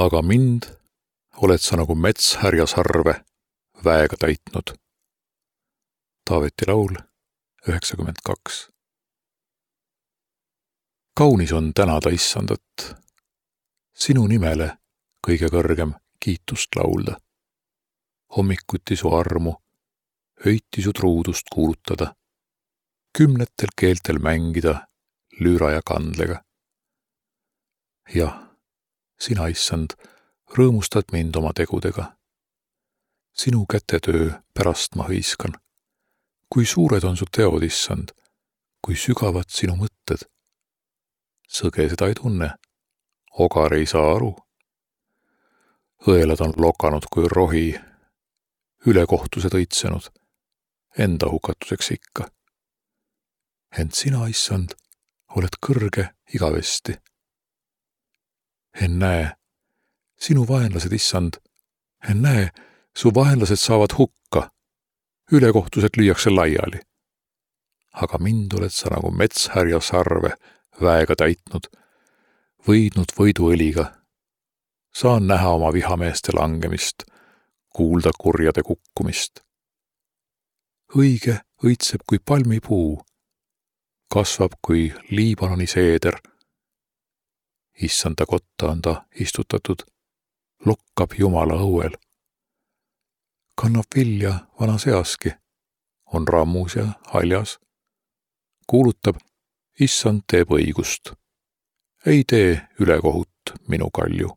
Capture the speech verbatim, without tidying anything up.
aga mind oled sa nagu metshärja sarve väega täitnud. Taaveti laul üheksakümmend kaks. Kaunis on tänada issandat, sinu nimele kõige kõrgem kiitust laulda. Hommikuti su armu, öiti su truudust kuulutada, kümnetel keeltel mängida lüüra ja kandlega. Jah, sina, issand, rõõmustad mind oma tegudega. Sinu kätetöö pärast ma hõiskan. Kui suured on su teod, issand, kui sügavad sinu mõtted. Sõge seda ei tunne, ogar ei saa aru. Õelad on lokanud kui rohi, ülekohtused õitsenud, enda hukatuseks ikka. Ent sina, issand, oled kõrge igavesti. En näe, sinu vaenlased, issand, en näe, su vaenlased saavad hukka, ülekohtused lüüakse laiali. Aga mind oled sa nagu metshärja sarve väega täitnud, võidnud võiduõliga. Saan näha oma vihameeste langemist, kuulda kurjade kukkumist. Õige õitseb kui palmipuu, kasvab kui Liibanoni seeder. Issanda kotta on ta istutatud, lokkab Jumala õuel. Kannab vilja vanas easki, on rammus ja haljas. Kuulutab, issand teeb õigust. Ei tee ülekohut minu kalju.